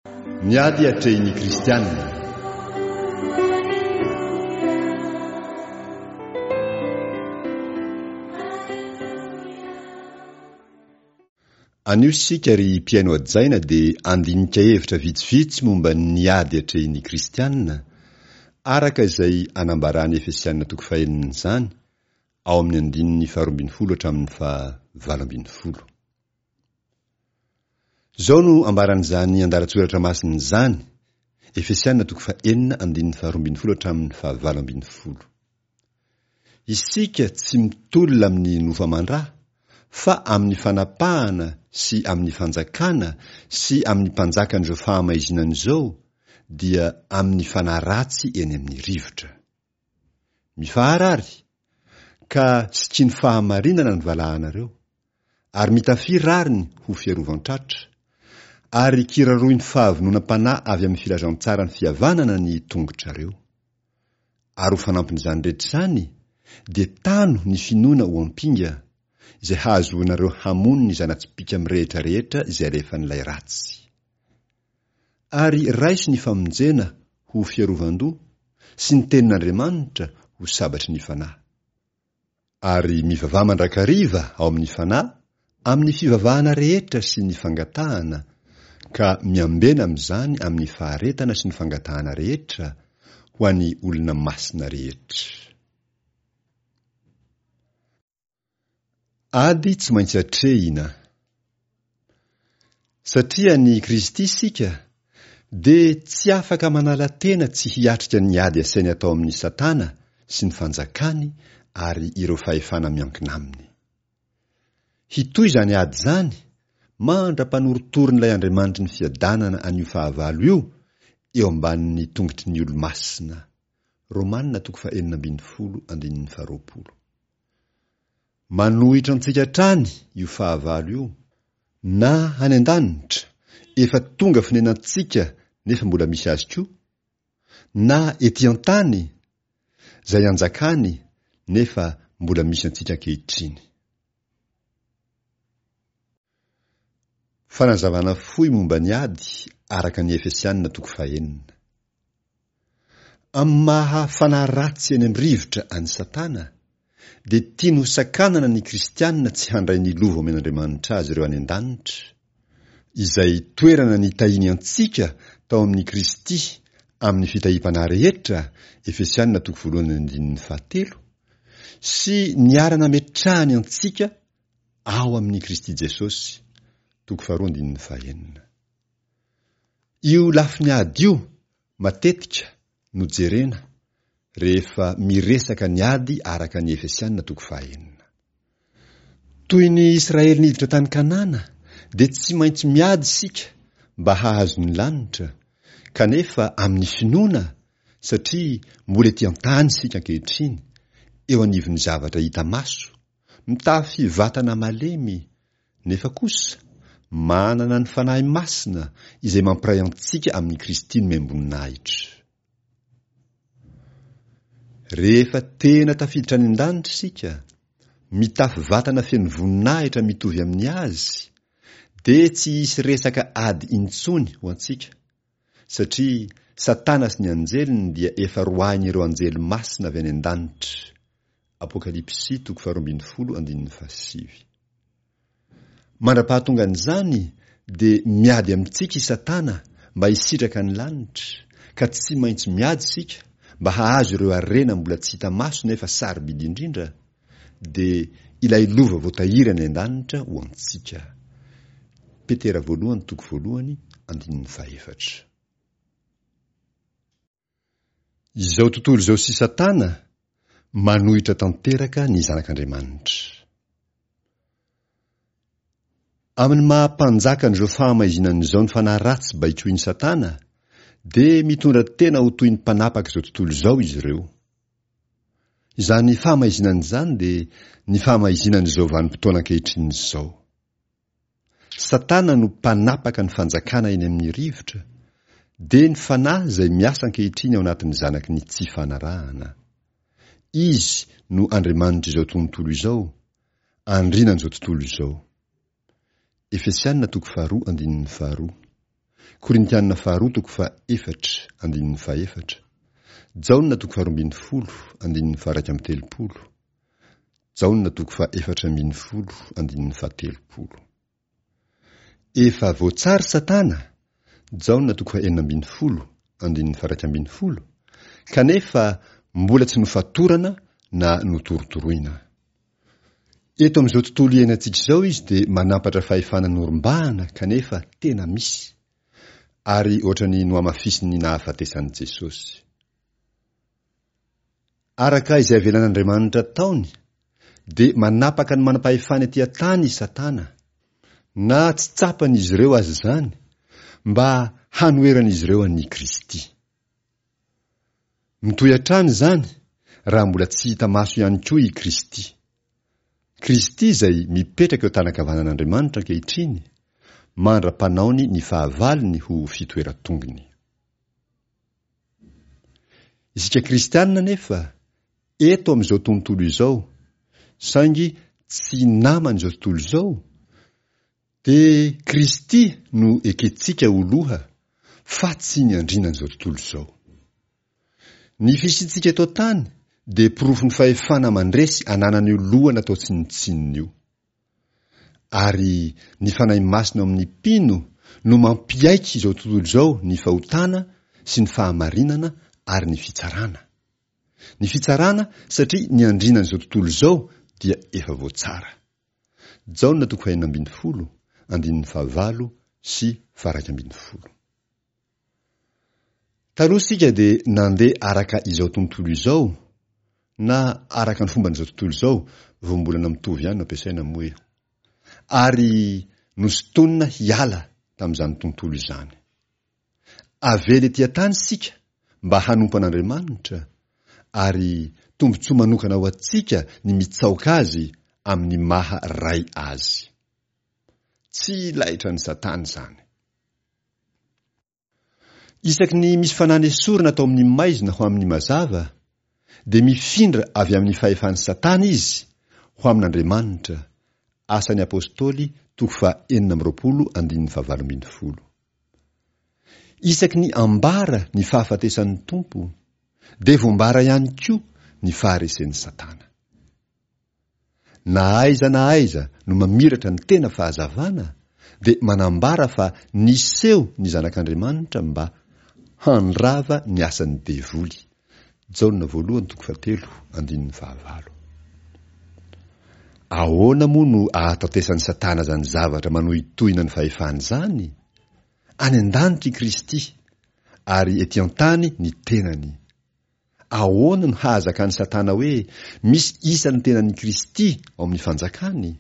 Ny ady atrehin'ny kristiana. Anio isika ry mpihaino hajaina dia handinika hevitra vitsivitsy momba ny ady atrehin'ny kristiana, araka izay anambaran'ny Efesiana toko fahenina izany ao amin'ny andininy faharoambinifolo hatramin'ny faha-18. Izao no ambaran'izany andalan-tsoratra masina izany, Efesiana toko fahenina andininy faharoambinifolo hatramin'ny fahavalo ambinifolo. Isika tsy mitolona amin'ny nofo aman-dra, fa amin'ny fanapahana sy amin'ny fanjakana sy amin'ny mpanjakan'izao fahamaizinana izao, dia amin'ny fanahy ratsy eny amin'ny rivotra. Mifahara àry, ka sikino fahamarinana ny valahanareo, ary mitafia rariny ho fiarovan-tratra, ary kiraroy ny fahavononam-panahy avy amin'ny filazantsaran'ny fihavanana ny tongotrareo. Ary ho fanampin'izany rehetra izany, dia tano ny finoana ho ampinga, izay hahazoanareo hamono ny zana-tsipìka mirehitra rehetra izay alefan'ilay ratsy. Ary raiso ny famonjena ho fiarovan-doha, sy ny tenin'Andriamanitra ho sabatry ny fanahy. Ary mivavaha mandrakariva ao amin'ny Fanahy amin'ny fivavahana rehetra sy ny fangatahana, ka miambena amin'izany amin'ny faharetana sy ny fangatahana rehetra ho an'ny olona masina rehetra. Ady tsy maintsy atrehina. Satria an'i Kristy isika, dia tsy afaka manala tena tsy hiatrika ny ady asainy atao amin'i Satana sy ny fanjakany ary ireo fahefana miankina aminy. Hitohy izany ady izany mandra-panorotoron'ilay Andriamanitry ny fiadanana an'io fahavalo io eo ambanin'ny tongotry ny olo-masina. Romana toko fahenina ambinifolo andininy faharoapolo. Manohitra antsika hatrany io fahavalo io, na any an-danitra, efa tonga fonenantsika nefa mbola misy azy koa, na ety an-tany, izay anjakany nefa mbola misy antsika ankehitriny. Fanazavana fohy momba ny ady araka ny Efesiana toko fahenina. Amin'ny maha fanahy ratsy eny amin'ny rivotra an'i Satana, dia tiany ho sakanana ny kristiana tsy handray ny lova omen'Andriamanitra azy ireo any an-danitra, izay toerana nitahiany antsika tao amin'i Kristy amin'ny fitahiam-panahy rehetra, Efesiana toko voalohany andininy fahatelo, sy niara-nametrahany antsika ao amin'i Kristy Jesosy, toko faharoa andininy fahenina. Io lafiny ady io matetika no jerena rehefa miresaka ny ady araka ny Efesiana toko fahenina. Toy ny Israely niditra tany Kanana dia tsy maintsy miady isika mba hahazo ny lanitra, kanefa amin'ny finoana satria mbola ety an-tany isika ankehitriny, eo anivon'ny zavatra hita maso, mitafy vatana malemy, nefa kosa manana ny Fanahy Masina izay mampiray antsika amin'i Kristy nomem-boninahitra. Rehefa tena tafiditra any an-danitra isika, mitafy vatana feno voninahitra mitovy amin'ny Azy, dia tsy hisy resaka ady intsony ho antsika, satria Satana sy ny anjeliny dia efa roahin'ireo anjely masina avy any an-danitra. Apokalypsy toko faharoambinifolo andininy fahasivy. Mandra-pahatongan'izany dia miady amintsika i Satana mba hisitraka ny lanitra, ka tsy maintsy miady isika mba hahazo ireo harena mbola tsy hita maso nefa sarobidy indrindra, dia ilay lova voatahiry any an-danitra ho antsika. Petera voalohany toko voalohany andininy fahefatra. Izao tontolo izao sy Satana manohitra tanteraka ny zanak'Andriamanitra. Amin'ny maha mpanjakan'izao fahamaizinana izao ny fanahy ratsy baikoin'i Satana dia mitondra tena ho toy ny mpanapaka izao tontolo izao izy ireo. Izany fahamaizinana izany dia ny fahamaizinan'izao vanim-potoana ankehitriny izao. Satana no mpanapaka ny fanjakana eny amin'ny rivotra, dia ny fanahy izay miasa ankehitriny ao anatin'ny zanaky ny tsy fanarahana. Izy no andriamanitr'izao tontolo izao, andrinan'izao tontolo izao. Efesiana toko faharoa andininy faharoa. Korintiana faharoa toko fahaefatra, andininy fahefatra, Jaona toko faharoambinifolo, andininy faha-31, Jaona toko faha-14 andininy fahatelopolo. Efa voatsara Satana, Jaona toko faha-16 andininy faha-11, kanefa mbola tsy nofatorana na notorotoroina. Eto amin'izao tontolo iainantsika izao izy dia manampatra fahefana norombahana kanefa tena misy, ary ohatran'ny nohamafisin'ny nahafatesan'i Jesosy. Araka izay avelan'Andriamanitra ataony, dia manapaka ny manam-pahefana ety an-tany i Satana, na tsy tsapan'izy ireo aza izany, mba hanoheran'izy ireo an'i Kristy. Mitohy hatrany izany raha mbola tsy hita maso ihany koa i Kristy. Kristy izay mipetraka eo an-tanan-kavanan'Andriamanitra ankehitriny, mandra-panaony ny fahavalony ho fitoeran-tongony. Isika kristianina anefa, eto amin'izao tontolo izao, saingy tsy naman'izao tontolo izao, dia Kristy no ekentsika ho loha fa tsy ny andrinan'izao tontolo izao. Ny fisiantsika eto an-tany dia porofon'ny fahefana mandresy ananan'io loha natao tsinontsinona io. Ary ny Fanahy Masina ao amin'ny mpino no mampiaiky izao tontolo izao ny fahotana sy ny fahamarinana ary ny fitsarana. Ny fitsarana satria ny andrinan'izao tontolo izao dia efa voatsara. Jaona toko fahenina ambin'ny folo, andininy fahavalo sy faha-iraika ambin'ny folo. Taloha isika dia nandeha araka izao tontolo izao na araka ny fomban'izao tontolo izao, voambolana mitovy ihany no ampiasaina moa eo, ary nosintonina hiala tamin'izany tontolo izany. Avela ety an-tany isika mba hanompo an'Andriamanitra, ary tombontsoa manokana ho antsika ny mitsaoka Azy amin'ny maha Ray Azy. Tsy laitran'i Satana izany. Isaky ny misy fanahy nesorina atao amin'ny maizina ho amin'ny mazava, dia mifindra avy amin'ny fahefan'i Satana izy ho amin'Andriamanitra, Asan'ny Apostoly toko faha-26 andininy faha-18. Isaky ny ambara ny fahafatesan'ny Tompo, dia voambara ihany koa ny faharesen'i Satana. Na aiza na aiza no mamiratra ny tena fahazavana dia manambara fa niseho ny Zanak'Andriamanitra mba handrava ny asan'ny devoly. Jaona voalohany toko fahatelo andininy fahavalo. Ahoana moa no ahatantesan'i Satana izany zavatra manohitohina ny fahefany izany? Any an-danitra i Kristy, ary ety an-tany ny tenany. Ahoana no hahazakan'i Satana hoe misy isan'ny tenan'i Kristy ao amin'ny fanjakany?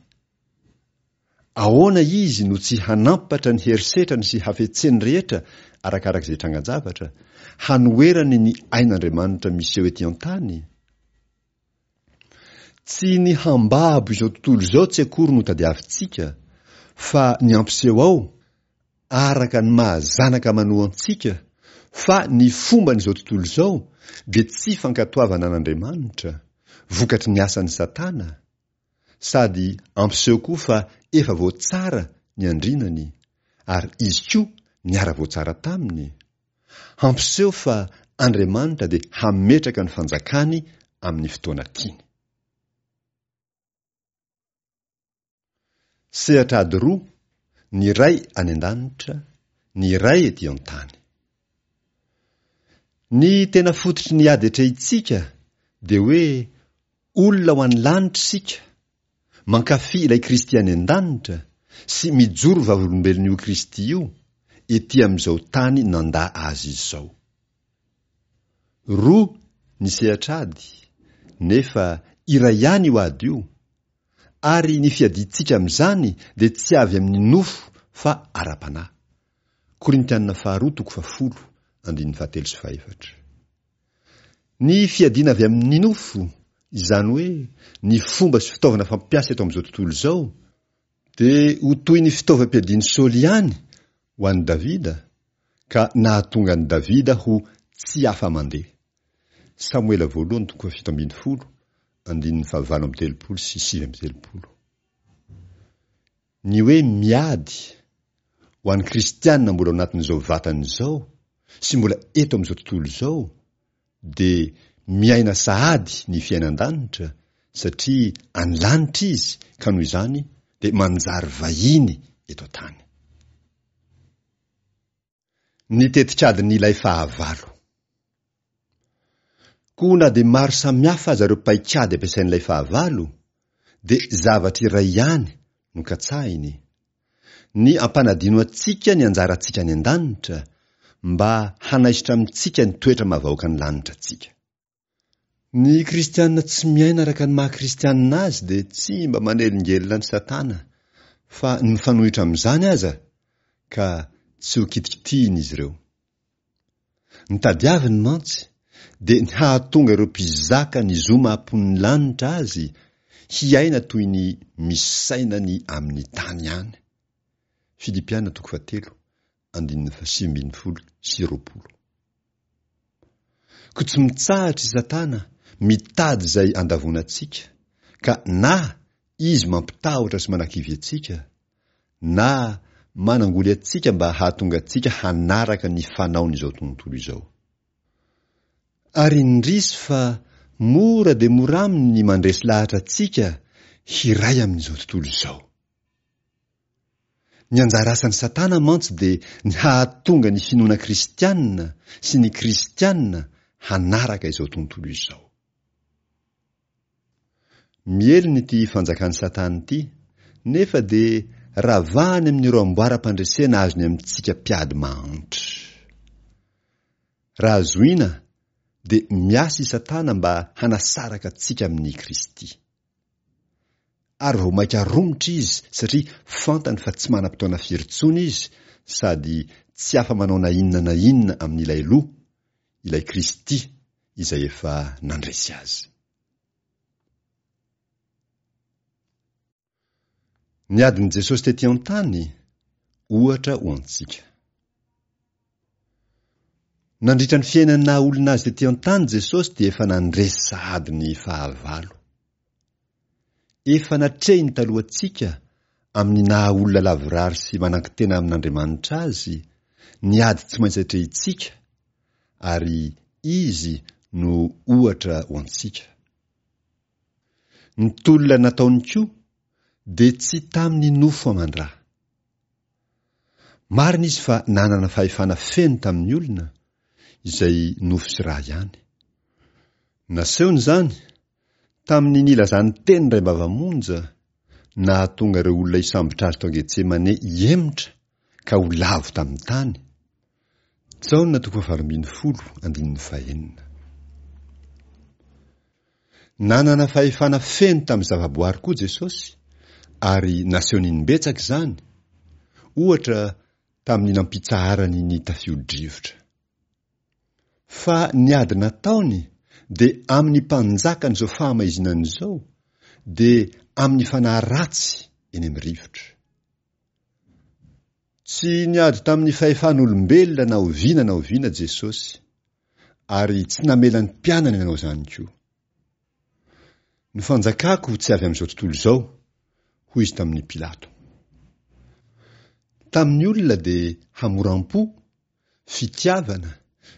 Ahoana izy no tsy hanampatra ny herisetrany sy hafetseny rehetra arakaraka izay trangan-javatra, hanoherany ny ain'Andriamanitra miseho ety an-tany? Tsy ny hambabo izao tontolo izao tsy akory no tadiavintsika, fa ny hampiseho ao, araka ny maha zanaka manoa antsika, fa ny fomban'izao tontolo izao dia tsy fankatoavana an'Andriamanitra, vokatry ny asan'i Satana, sady ampiseho koa fa efa voatsara ny andrinany, ary izy koa niara-voatsara taminy. Hampiseho fa Andriamanitra dia hametraka ny fanjakany amin'ny fotoana tiany. Sehatra ady roa, ny iray any an-danitra, ny iray ety an-tany. Ny tena fototry ny ady atrehintsika dia hoe olona ho any lanitra isika, Mankafy ilay Kristy any an-danitra sy mijoro vavolombelon'io Kristy io ety amin'izao tany nandà Azy izao. Roa ny sehatr'ady, nefa iray ihany io ady io, ary ny fiadiantsika amin'izany dia tsy avy amin'ny nofo fa ara-panahy. Korintiana faharoa toko fahafolo, andininy fahatelo sy fahefatra. Ny fiadiana avy amin'ny nofo, izany hoe ny fomba sy fitaovana fampiasa eto amin'izao tontolo izao, dia ho toy ny fitaovam-piadian'i Saoly ihany ho an'i Davida, ka nahatonga an'i Davida ho tsy afa-mandeha. Samoela voalohany toko fahafito ambin'ny folo, andininy fahavalo amby telopolo sy 39. Ny hoe miady. Ho an'ny kristiana mbola ao anatin'izao vatana izao sy mbola eto amin'izao tontolo izao dia miaina sahady ny fiainan-danitra satria any lanitra izy ka noho izany dia manjary vahiny eto an-tany. Ny tetikadin'ilay fahavalo. Koa na dia maro samihafa aza ireo paikady ampiasain'ilay fahavalo dia zavatra iray ihany no katsahiny, ny ampanadino antsika ny anjarantsika any an-danitra mba hanaisotra amintsika ny toetra maha vahoakan'ny lanitra antsika. Ny kristiana tsy miaina araka ny maha kristiana azy dia tsy mba manelingelina an'i Satana fa ny mifanohitra amin'izany aza ka tsy ho kitikitihina izy ireo. Ny tadiaviny mantsy dia ny hahatonga ireo mpizaka ny zo maha mponin'ny lanitra azy hiaina toy ny misaina ny amin'ny tany ihany. Filipiana toko fahatelo, andininy fahasivy ambin'ny folo sy 20. Koa tsy mitsahatra i Satana mitady izay andavoana antsika, ka na izy mampitahotra sy manakivy antsika, na manangoly antsika mba hahatonga antsika hanaraka ny fanaon'izao tontolo izao. Ary indrisy fa mora dia mora aminy ny mandresy lahatra antsika hiray amin'izao tontolo izao. Ny anjara asan'i Satana mantsy dia ny hahatonga ny finoana kristiana sy ny kristiana hanaraka izao tontolo izao. Mihelina ity fanjakan'i Satana ity, nefa dia ravahany amin'ireo amboaram-pandresena azony amintsika mpiady mahantra. Raha zohiana, dia miasa i Satana mba hanasaraka antsika amin'i Kristy. Ary vao mainka romotra izy satria fantany fa tsy manam-potoana firy intsony izy sady tsy afa-manao na inona na inona amin'ilay Loha, ilay Kristy izay efa nandresy azy. Ny adin'i Jesosy tety an-tany, ohatra ho antsika. Nandritra ny fiainany naha olona azy tety an-tany Jesosy dia efa nandresy sahady ny fahavalo. Efa natrehiny talohantsika amin'ny naha olona lavorary sy manan-kitena amin'Andriamanitra azy ny ady tsy maintsy atrehintsika ary Izy no ohatra ho antsika. Ny tolona nataony koa dia tsy tamin'ny nofo aman-dra. Marina izy fa nanana fahefana feno tamin'ny olona, izay nofo sy ra ihany. Nasehony izany tamin'ny nilazany teny indraimbava monja, nahatonga ireo olona hisambotra azy tao Getsemane hihemotra ka ho lavo tamin'ny tany. Jaona toko fahavalo ambin'ny folo andininy fahenina. Nanana fahefana feno tamin'ny zavaboary koa Jesosy, ary nasehony imbetsaka izany, ohatra tamin'ny nampitsaharany ny tafio-drivotra. Fa ny ady nataony dia amin'ny mpanjakan'izao fahamaizinana izao, dia amin'ny fanahy ratsy eny amin'ny rivotra. Tsy niady tamin'ny fahefan'olombelona na oviana na oviana Jesosy, ary tsy namela ny mpianany hanao izany koa. Ny fanjakako tsy avy amin'izao tontolo izao, hoy izy tamin'i Pilato. Tamin'ny olona dia hamoram-po, fitiavana,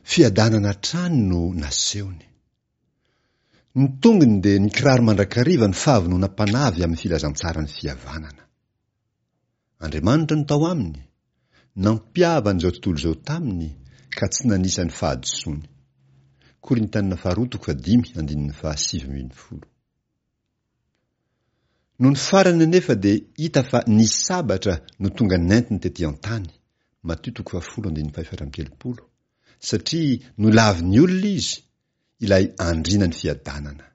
fiadanana hatrany no nasehony. Ny tongony dia nikiraro mandrakariva ny fahavononam-panahy avy amin'ny filazantsaran'ny fihavanana. Andriamanitra no tao aminy, nampihavana izao tontolo izao taminy ka tsy nanisa ny fahadisoany. Korintiana faharoa toko fahadimy andininy fahasivy ambin'ny folo. Nony farany anefa dia hita fa ny sabatra no tonga nentiny tety an-tany, Matio toko fahafolo andininy fahefatra amby telopolo, satria nolavin'ny olona izy, ilay andriana ny fiadanana.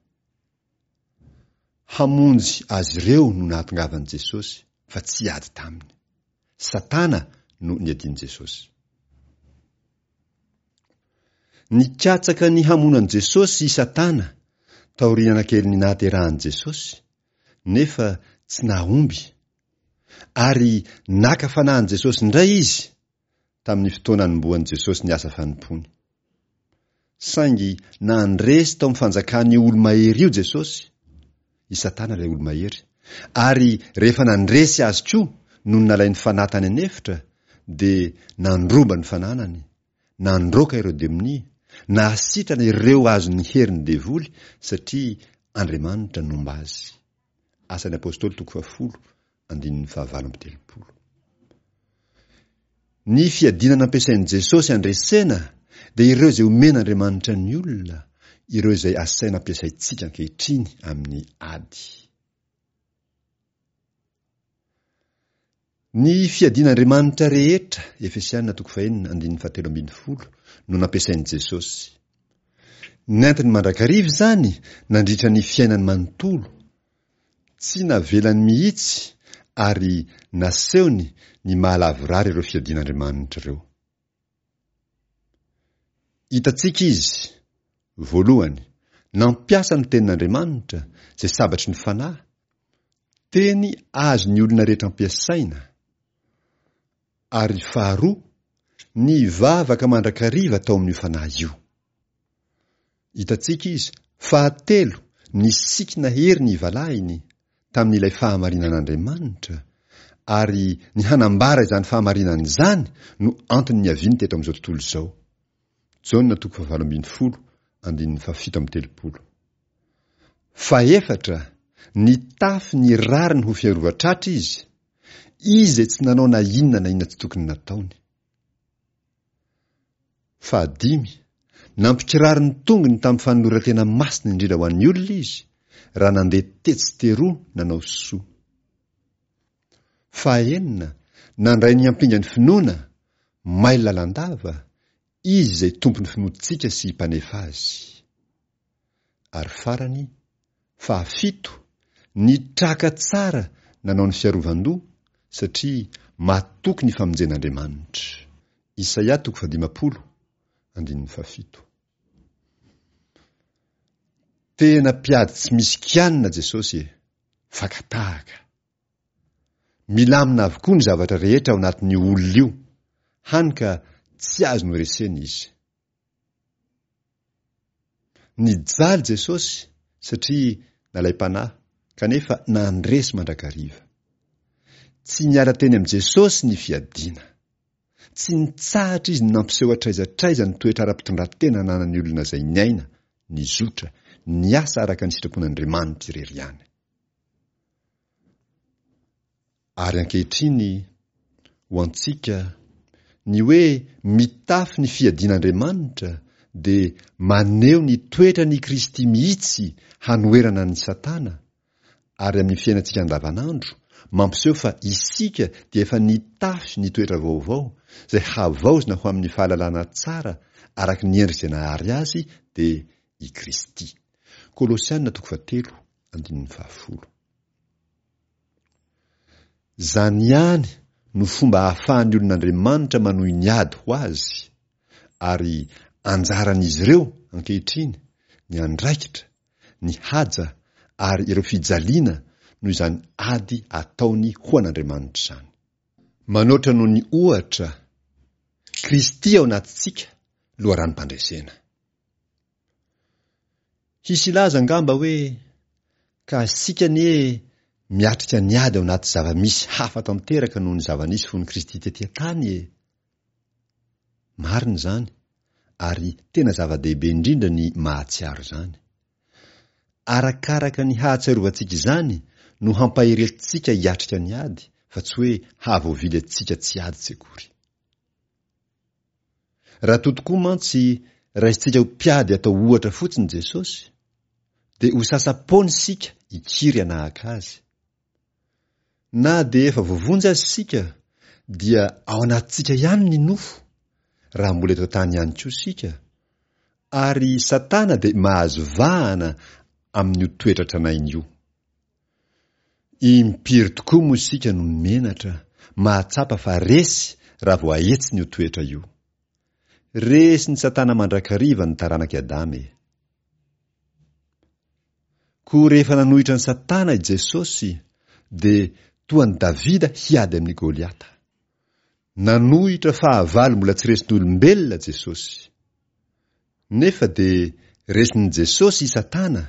Hamonjy azy ireo no nahatongavan'i Jesosy fa tsy hiady taminy. Satana no niadian'i Jesosy. Nikatsaka ny hamono an'i Jesosy i Satana taoriana kelin'ny nahaterahan'i Jesosy, nefa tsy nahomby. Ary naka fanahy an'i Jesosy indray izy tamin'ny fotoana nanombohan'i Jesosy ny asa fanompoany. Saingy nandresy tao amin'ny fanjakan'io olo-mahery io Jesosy, i Satana ilay olo-mahery, ary rehefa nandresy azy koa nony nalain'ny fanahy tany an'efitra, dia nandroba ny fananany, nandroaka ireo demonia, nahasitrana ireo azon'ny herin'ny devoly satria Andriamanitra nomba azy. Asan'ny Apostoly toko fahafolo andininy fahavalo amby telopolo. Ny fiadiana nampiasain'i Jesosy handresena dia ireo izay omen'Andriamanitra ny olona, ireo izay asaina ampiasaintsika ankehitriny amin'ny ady. Ny fiadian'Andriamanitra rehetra, Efesiana toko fahenina andininy fahatelo ambin'ny folo, no nampiasain'i Jesosy. Nentiny mandrakariva izany nandritra ny fiainany manontolo, Tsy navelany mihitsy ary nasehony ny maha lavorary ireo fiadian'Andriamanitra ireo. Hitantsika izy, voalohany, nampiasa ny Tenin'Andriamanitra, izay sabatry ny fanahy, teny azon'ny olona rehetra ampiasaina, ary faharoa, nivavaka mandrakariva tao amin'io fanahy io. Hitantsika izy, fahatelo, nisikina hery ny valahiny tamin'ilay fahamarinan'Andriamanitra, ary ny hanambara izany fahamarinana izany no antony niaviany teto amin'izao tontolo izao. Jaona toko fahavalo ambin'ny folo, andininy fahafito amby telopolo. Fahefatra, nitafy ny rariny ho fiarovan-tratra izy, izy izay tsy nanao na inona na inona tsy tokony nataony. Fahadimy, nampikiraro ny tongony tamin'ny fanoloran-tena masina indrindra ho an'ny olona izy, raha nandeha tetsy teroa nanao soa. Fahaenina, nandray ny ampingan'ny finoana, mailo lalandava, izy izay tompon'ny finoantsika sy mpanefa azy. Ary farany, fahafito, nitraka tsara nanao ny fiarovan-doha satria matoky ny famonjen'Andriamanitra. Isaia toko fahadimampolo, andininy fahafito. Tena mpiady tsy misy kianina Jesosy e! Faka-tahaka. Milamina avokoa ny zavatra rehetra ao anatin'io olona io, hany ka tsy azo noresena izy. Nijaly Jesosy satria nalaim-panahy kanefa nandresy mandrakariva. Tsy niala teny amin'i Jesosy ny fiadiana. Tsy nitsahatra izy ny nampiseho hatraiza hatraiza ny toetra ara-pitondran-tena ananan'ny olona izay niaina, nizotra, niasa araka ny sitrapon'Andriamanitra irery ihany. Ary ankehitriny, ho antsika, ny hoe mitafy ny fiadian'Andriamanitra dia maneho ny toetran' i Kristy mihitsy hanoherana an'i Satana, ary amin'ny fiainantsika andavanandro, mampiseho fa isika dia efa nitafy ny toetra vaovao, izay havaozina ho amin'ny fahalalana tsara araka ny endrika izay nahary azy, dia i Kristy. Kolosiana toko fahatelo, andininy fahafolo. Izany ihany no fomba ahafahan'ny olon'Andriamanitra manohy ny ady ho azy, ary anjaran'izy ireo ankehitriny ny andraikitra, ny haja ary ireo fijaliana noho izany ady ataony ho an'Andriamanitra izany. Manoatra noho ny ohatra, Kristy ao anatintsika, loharanom-pandresena. Hisy hilaza angamba hoe, Ka isika anie miatrika ny ady ao anaty zava-misy hafa tanteraka noho ny zava-nisy fony Kristy tety an-tany e! Marina izany, ary tena zava-dehibe indrindra ny mahatsiaro izany. Arakaraka ny hahatsiarovantsika izany no hampahery antsika hiatrika ny ady, fa tsy hoe hahavoavily antsika tsy hiady tsy akory. Raha toa tokoa mantsy raisintsika ho mpiady atao ohatra fotsiny Jesosy, dia ho sasa-poana isika hikiry hanahaka azy. Na dia efa voavonjy aza isika, dia ao anatintsika ihany ny nofo, raha mbola eto an-tany ihany koa isika, ary Satana dia mahazo vahana amin'io toetra tranainy io. Impiry tokoa moa isika no menatra mahatsapa fa resy raha vao ahetsiny io toetra io. Resin'i Satana mandrakariva ny taranak'i Adama e! Koa rehefa nanohitra an'i Satana i Jesosy dia toa an'i Davida hiady amin'i Goliata. Nanohitra fahavalo mbola tsy resin'olombelona Jesosy. Nefa dia resin'i Jesosy i Satana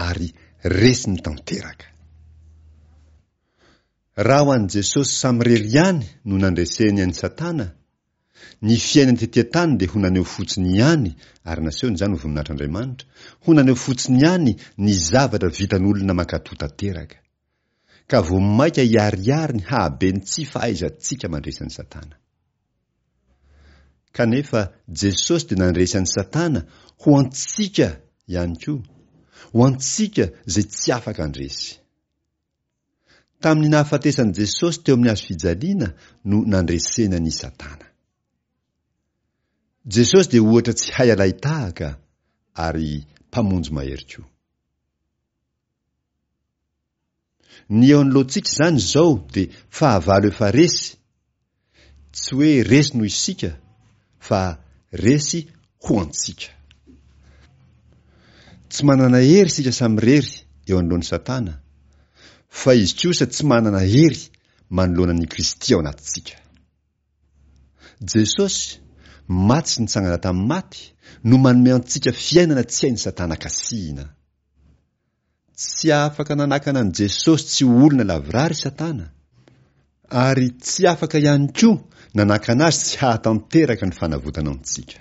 ary resiny tanteraka. Raha ho an'i Jesosy samirery ihany no nandreseny an'i Satana, ny fiainany tety an-tany dia ho naneho fotsiny ihany, ary nasehony izany ho voninahitr'Andriamanitra, ho naneho fotsiny ihany ny zavatra vitan'olona mankatò tanteraka. Ka vao mainka hiharihary ny hahaben'ny tsy fahaizantsika mandresy an'i Satana. Kanefa Jesosy dia nandresy an'i Satana ho antsika ihany koa, ho antsika izay tsy afaka handresy. Tamin'ny nahafatesan'i Jesosy teo amin'ny hazo fijaliana no nandresena an'i Satana. Jesosy dia ohatra tsy hay alain-tahaka ary Mpamonjy mahery koa. Ny eo anoloantsika izany izao dia fahavalo efa resy, tsy hoe resy noho isika fa resy ho antsika. Tsy manana hery isika samirery eo anoloan'i Satana, fa izy kosa tsy manana hery manoloana an'i Kristy ao anatintsika. Jesosy, maty sy nitsangana tamin'ny maty, no manome antsika fiainana tsy hain'i Satana kasihina. Tsy afaka nanakana an'i Jesosy tsy ho olona lavorary i Satana, ary tsy afaka ihany koa nanakana azy tsy hahatanteraka ny fanavotana antsika.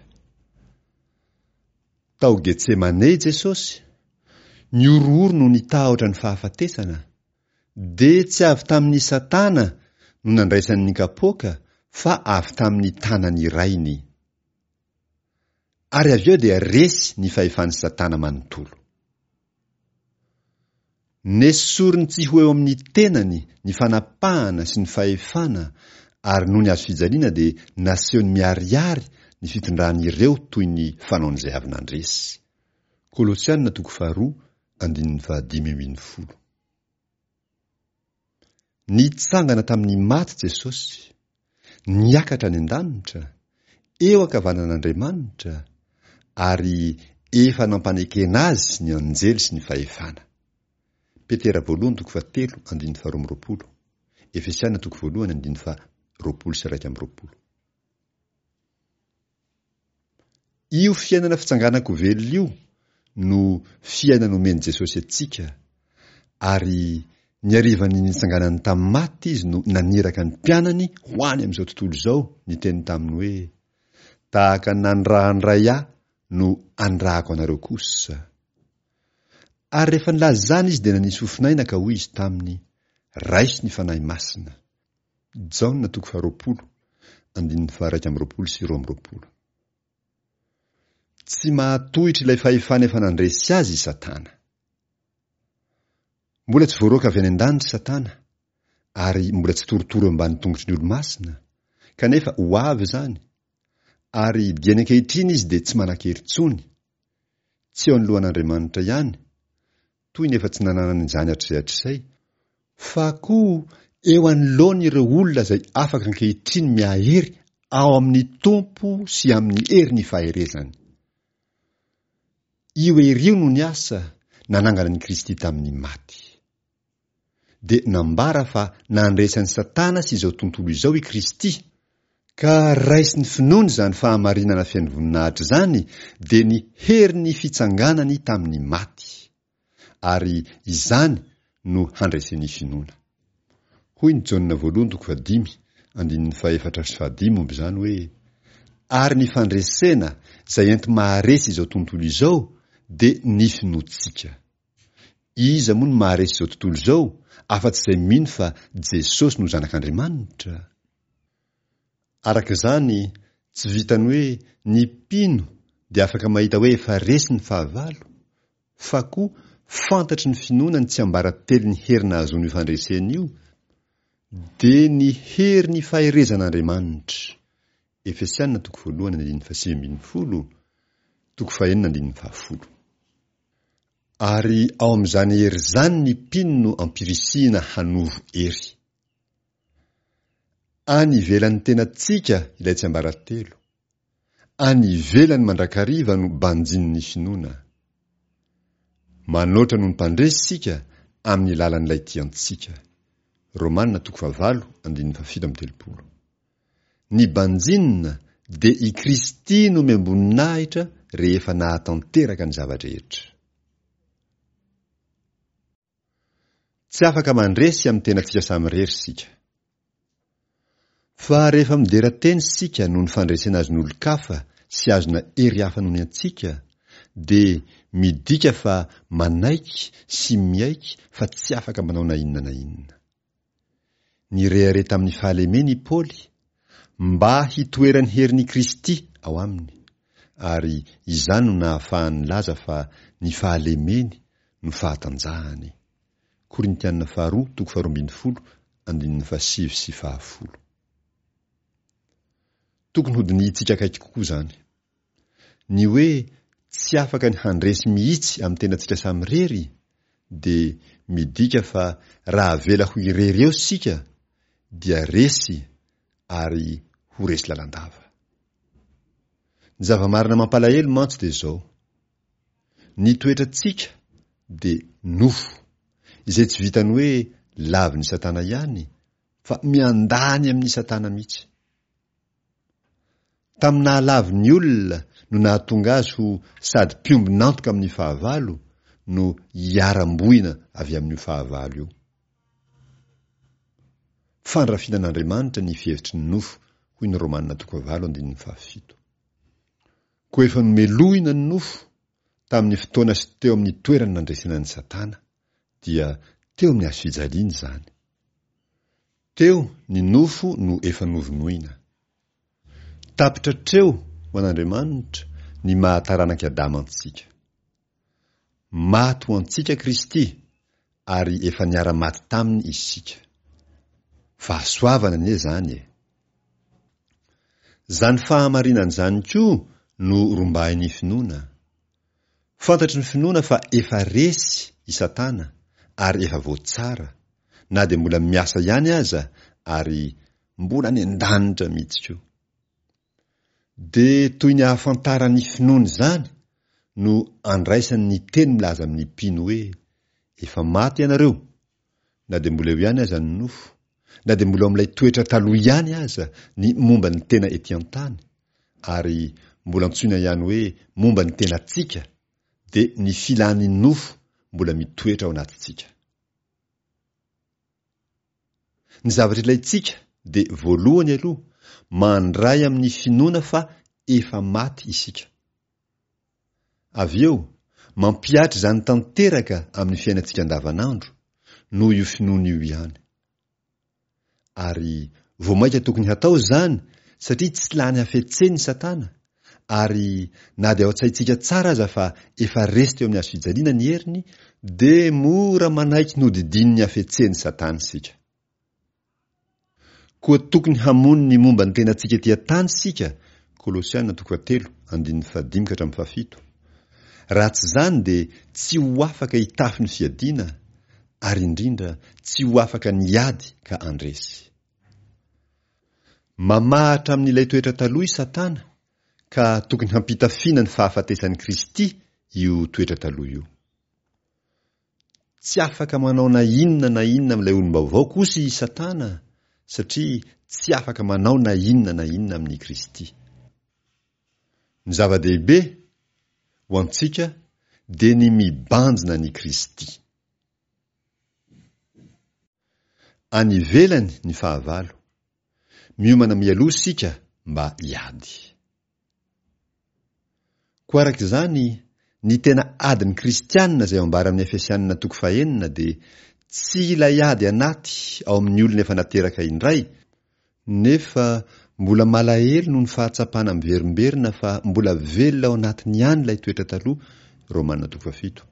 Tao Getsemane i Jesosy, nihorohoro noho ny tahotra ny fahafatesana, dia tsy avy tamin'i Satana no nandraisany ny kapoaka fa avy tamin'ny tanan'ny Rainy. Ary avy eo dia resy ny fahefan'i Satana manontolo. Nesoriny tsy ho eo amin'ny tenany ny fanapahana sy ny fahefana ary noho ny hazofijaliana dia nasehony miharihary ny fitondrany ireo toy ny fanaon'izay avy nandresy. Kolosiana toko faharoa andininy fahadimy ambin'ny folo. Nitsangana tamin'ny maty Jesosy, niakatra any an-danitra, eo ankavanan'Andriamanitra, ary efa nampanekena azy ny anjely sy ny fahefana. Petera voalohany toko fahatelo andininy faharoa amby roapolo, Efesiana toko voalohany andininy faha 21. Io fiainana fitsanganan-ko velona io no fiainana omen'i Jesosy antsika, ary ny harivan'ny nitsanganany tamin'ny maty izy no naniraka ny mpianany ho any amin'izao tontolo izao niteny taminy hoe, Tahaka ny nanirahan'ny Ray ahy no anirahako anareo kosa. Ary rehefa nilaza izany izy dia nanisy fofon'aina ka hoy izy taminy, Raiso ny Fanahy Masina. Jaona toko faharoapolo, andininy faha-21 sy 22. Tsy mahatohitra ilay fahefana efa nandresy azy i Satana. Mbola tsy voaroaka avy any an-danitra i Satana, ary mbola tsy torotoro eo ambany tongotry ny olo-masina, kanefa ho avy izany, ary dieny ankehitriny izy dia tsy manan-kery intsony, tsy eo anoloan'Andriamanitra ihany, toy ny efa tsy nananany izany hatrizay hatrizay, fa koa eo anoloan'ireo olona izay afaka ankehitriny mihahery ao amin'ny Tompo sy amin'ny herin'ny faherezany. Io hery io no niasa nanangana an'i Kristy tamin'ny maty. Dia nambara fa nandresy an'i Satana sy izao tontolo izao i Kristy, ka raisin'ny finoana izany fahamarinana feno voninahitra izany dia ny herin'ny fitsanganany tamin'ny maty. Ary izany no handresen'ny finoana. Hoy ny Jaona voalohany toko fahadimy andininy fahefatra sy fahadimy momba izany hoe, Ary ny fandresena izay enti-maharesy izao tontolo izao dia ny finoantsika. Iza moa no maharesy izao tontolo izao afa-tsy izay mino fa Jesosy no Zanak'Andriamanitra? Araka izany, tsy vitan'ny hoe ny mpino dia afaka mahita hoe efa resy ny fahavalo, fa koa fantatry ny finoana ny tsiambaratelon'ny hery nahazoana io fandresena io, dia ny herin'ny faherezan'Andriamanitra. Efesiana toko voalohany andininy faha-19, toko fahenina andininy fahafolo. Ary ao amin'izany hery izany ny mpino no ampirisihina hanovo hery. Any ivelan'ny tenantsika ilay tsiambaratelo. Any ivelany mandrakariva no banjinin'ny finoana. Manoatra noho ny mpandresy isika amin'ny lalan'ilay tia antsika. Romana toko fahavalo andininy fahafito amby telopolo. Ny banjinina dia i Kristy nomem-boninahitra rehefa nahatanteraka ny zava-drehetra. Tsy afaka mandresy amin'ny tenantsika samirery isika. Fa rehefa midera tena isika noho ny fandresena azon'olon-kafa sy azona hery hafa noho ny antsika, dia midika fa manaiky sy miaiky fa tsy afaka manao na inona na inona. Nirehareha tamin'ny fahalemeny i Paoly, mba hitoeran'ny herin'i Kristy ao aminy, ary izany no nahafahany nilaza fa ny fahalemeny no fahatanjahany. Korintiana faharoa toko faharoa ambin'ny folo andininy fahasivy sy fahafolo. Tokony hodinihintsika akaiky kokoa izany. Ny hoe tsy afaka ny handresy mihitsy amin'ny tenantsika samirery dia midika fa raha avela ho irery eo isika dia resy ary ho resy lalandava. Ny zava-marina mampalahelo mantsy dia izao, ny toetrantsika dia nofo, izay tsy vitan'ny hoe lavin'i Satana ihany fa miandany amin'i Satana mihitsy. Tamin'ny nahalavo ny olona no nahatonga azy ho sady mpiombon'antoka amin'ny fahavalo no hiharam-boina avy amin'io fahavalo io. Fandrafiana an'Andriamanitra ny fihevitry ny nofo, hoy ny Romana toko fahavalo andininy fahafito. Koa efa nomelohina ny nofo tamin'ny fotoana sy teo amin'ny toerana nandresena an'i Satana, dia teo amin'ny hazo fijaliana izany. Teo ny nofo no efa novonoina. Tapitra hatreo ho an'Andriamanitra ny maha taranak'i Adama antsika. Maty ho antsika Kristy ary efa niara-maty taminy isika. Fahasoavana anie izany e! Izany fahamarinana izany koa no rombahin'ny finoana. Fantatry ny finoana fa efa resy i Satana ary efa voatsara, na dia mbola miasa ihany aza ary mbola any an-danitra mihitsy koa. Dia toy ny ahafantaran'ny finoana izany no andraisany ny teny milaza amin'ny mpino hoe, Efa maty ianareo, na dia mbola eo ihany aza ny nofo, na dia mbola ao amin'ilay toetra taloha ihany aza ny momba ny tena ety an-tany, ary mbola antsoina ihany hoe momba ny tenantsika, dia ny filan'ny nofo mbola mitoetra ao anatintsika. Ny zavatra ilaintsika dia voalohany aloha mandray amin'ny finoana fa efa maty isika. Avy eo, mampihatra izany tanteraka amin'ny fiainantsika andavanandro, noho io finoana io ihany. Ary vao mainka tokony hatao izany satria tsy lany hafetsena i Satana, ary na dia ao an-tsaintsika tsara aza fa efa resy teo amin'ny hazo fijaliana ny heriny, dia mora manaiky ny hodidinin'ny hafetsen'i Satana isika. Koa tokony hamono ny momba ny tenantsika ety an-tany isika, Kolosiana toko fahatelo, andininy fahadimy ka hatramin'ny fahafito. Raha tsy izany dia tsy ho afaka hitafy ny fiadiana, ary indrindra tsy ho afaka ny hiady ka handresy. Mamahatra amin'ilay toetra taloha i Satana, ka tokony hampitafiana ny fahafatesan'i Kristy io toetra taloha io. Tsy afaka manao na inona na inona amin'ilay olom-baovao kosa i Satana, satria tsy afaka manao na inona na inona amin'i Kristy. Ny zava-dehibe, ho antsika, dia ny mibanjina an'i Kristy. Any ivelany ny fahavalo. Miomana mialoha isika mba hiady. Koa araka izany, ny tena adin'ny kristiana izay ambara amin'ny Efesianina toko fahenina dia tsy ilay ady anaty ao amin'ny olona efa nateraka indray, nefa mbola malahelo noho ny fahatsapana miverimberina fa mbola velona ao anatiny ihany ilay toetra taloha, Romana toko fahafito.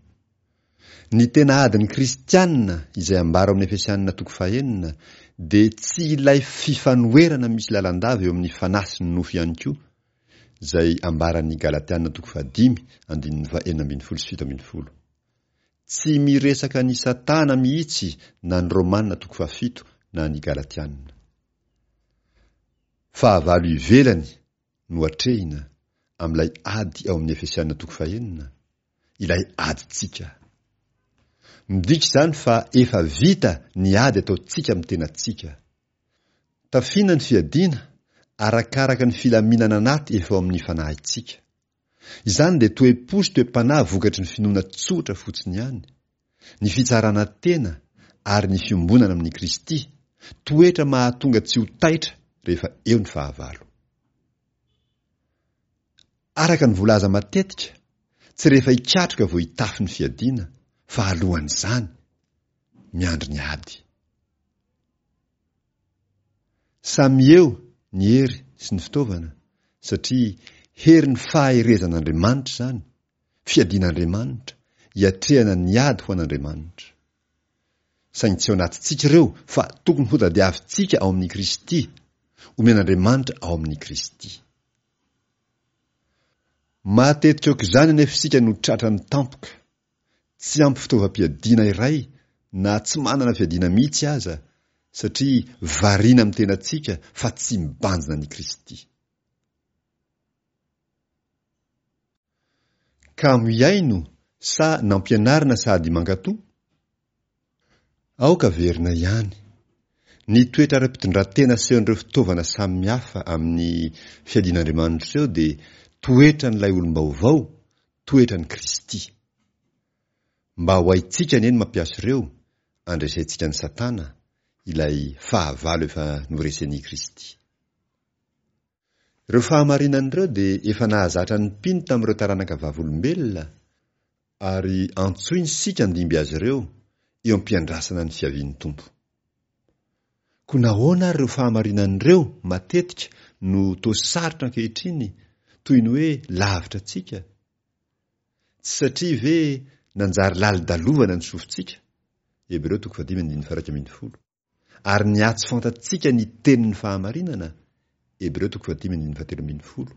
Ny tena adin'ny kristiana izay ambara ao amin'ny Efesianina toko fahenina dia tsy ilay fifanoherana misy lalandava eo amin'ny fanahy sy ny nofo ihany koa, izay ambaran'ny Galatiana toko fahadimy andininy faha-16 sy 17. Tsy miresaka an'i Satana mihitsy na ny Romana toko fahafito na ny Galatiana. Fahavalo ivelany no atrehina amin'ilay ady ao amin'ny Efesiana toko fahenina, ilay adintsika. Midika izany fa efa vita ny ady ataontsika amin'ny tenantsika. Tafiana ny fiadiana arakaraka ny filaminana anaty efa ao amin'ny fanahintsika. Izany dia toe-po sy toe-panahy vokatry ny finoana tsotra fotsiny ihany, ny fitsarana tena. ary ny fiombonana amin'i Kristy, toetra mahatonga tsy ho taitra rehefa eo ny fahavalo. Araka ny volaza matetika, tsy rehefa hikatroka vao hitafy ny fiadiana fa alohan'izany, miandry ny ady. Samy eo ny hery sy ny fitaovana satria herin'ny faherezan'Andriamanitra izany, fiadian'Andriamanitra, iatrehana ny ady ho an'Andriamanitra. Saingy tsy ao anatintsika ireo fa tokony hotadiavintsika ao amin'i Kristy, omen'Andriamanitra ao amin'i Kristy. Matetika aok'izany anefa isika no tratran'ny tampoka, tsy ampy fitaovam-piadiana iray na tsy manana fiadiana mihitsy aza satria variana amin'ny tenantsika fa tsy mibanjina an'i Kristy. Kamo hihaino sa nampianarina sady mankatò? Aoka averina ihany. Ny toetra ara-pitondrantena asehon'ireo fitaovana samihafa amin'ny fiadian'Andriamanitra ireo dia toetran'ilay olom-baovao, toetran'i Kristy. Mba ho haintsika anie ny mampiasa ireo, andresentsika an'i Satana, ilay fahavalo efa noresen'i Kristy. Ireo fahamarinana ireo dia efa nahazatra ny mpino tamin'ireo taranaka vavolombelona, ary antsoiny isika handimby azy ireo eo am-piandrasana ny fiavian'ny Tompo. Koa nahoana ary ireo fahamarinana ireo matetika no toa sarotra ankehitriny, toy ny hoe lavitra antsika? Tsy satria ve nanjary lalodalovana ny sofintsika? Hebreo toko fahadimy andininy faha-11. Ary niha-tsy fantatsika ny tenin'ny fahamarinana, Hebreo toko fahadimy andininy fahatelo ambin'ny folo.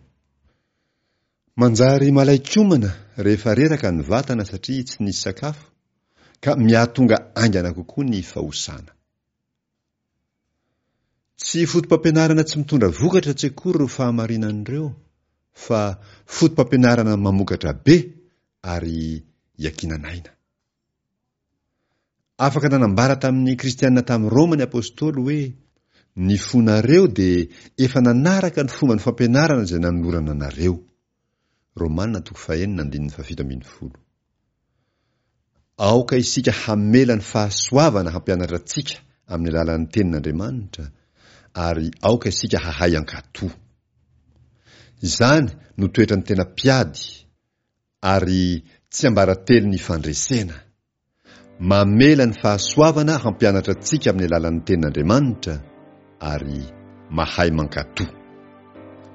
Manjary malain-komana rehefa reraka ny vatana satria tsy nisy sakafo, ka mihatonga haingana kokoa ny fahosana. Tsy foto-pampianarana tsy mitondra vokatra tsy akory ireo fahamarinana ireo, fa foto-pampianarana mamokatra be ary iankinan'aina. Afaka nanambara tamin'ny Kristianina tany Roma ny apostoly hoe, Ny fonareo dia efa nanaraka ny fomban'ny fampianarana izay nanolorana anareo. Romana toko fahenina andininy fahafito ambin'ny folo. Aoka isika hamela ny fahasoavana hampianatra antsika amin'ny alalan'ny Tenin'Andriamanitra, ary aoka isika hahay hankatò. Izany no toetran'ny tena mpiady, ary tsiambaratelo ny fandresena. Mamela ny fahasoavana hampianatra antsika amin'ny alalan'ny Tenin'Andriamanitra ary mahay mankatò.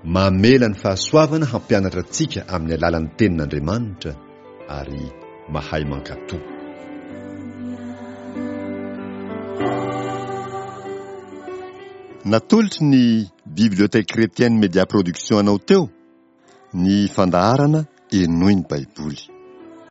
Mamela ny fahasoavana hampianatra antsika amin'ny alalan'ny Tenin'Andriamanitra ary mahay mankatò. Natolotry ny Bibliothèque Chrétienne Media Production anao teo ny fandaharana Henoy ny Baiboly.